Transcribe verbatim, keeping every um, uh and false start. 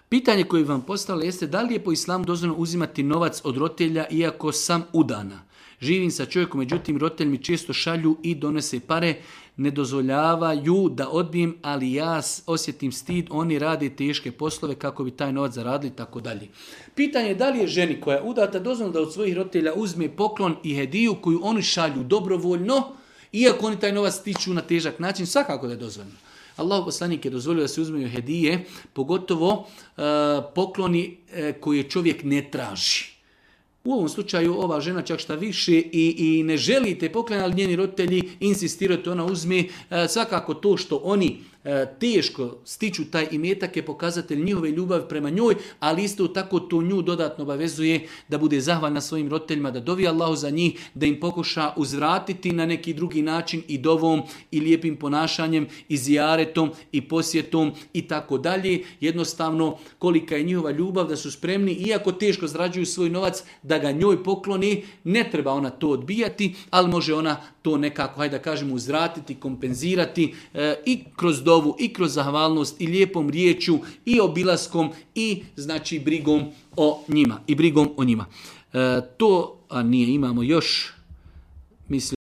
Pitanje koje vam postavilo jeste da li je po islamu dozvoljeno uzimati novac od roditelja iako sam udana. Živim sa čovjekom, međutim roditelji mi često šalju i donose pare, ne dozvoljavaju da odbijem, ali ja osjetim stid, oni rade teške poslove kako bi taj novac zaradili i tako dalje. Pitanje je da li je ženi koja je udata dozvoljeno da od svojih roditelja uzme poklon i hediju koju oni šalju dobrovoljno, iako oni taj novac stiču na težak način, svakako da je dozvoljeno. Allahu poslanik je dozvolio da se uzmeju hedije, pogotovo uh, pokloni uh, koje čovjek ne traži. U ovom slučaju ova žena čak šta više i, i ne želi te poklone, ali njeni roditelji insistiraju da ona uzme. E, svakako to što oni e, teško stiču taj imetak je pokazatelj njihove ljubavi prema njoj, ali isto tako to nju dodatno obavezuje da bude zahvalna svojim roditeljima, da dovi Allahu za njih, da im pokuša uzvratiti na neki drugi način i dovom i lijepim ponašanjem i zijaretom i posjetom i tako dalje. Jednostavno kolika je njihova ljubav da su spremni, iako teško zarađuju svoj novac, da ga njoj pokloni, ne treba ona to odbijati, ali može ona to nekako, hajde da kažemo, uzvratiti, kompenzirati e, i kroz dovu, i kroz zahvalnost, i lijepom riječju, i obilaskom, i znači brigom o njima. I brigom o njima. E, to, a nije, imamo još, mislim,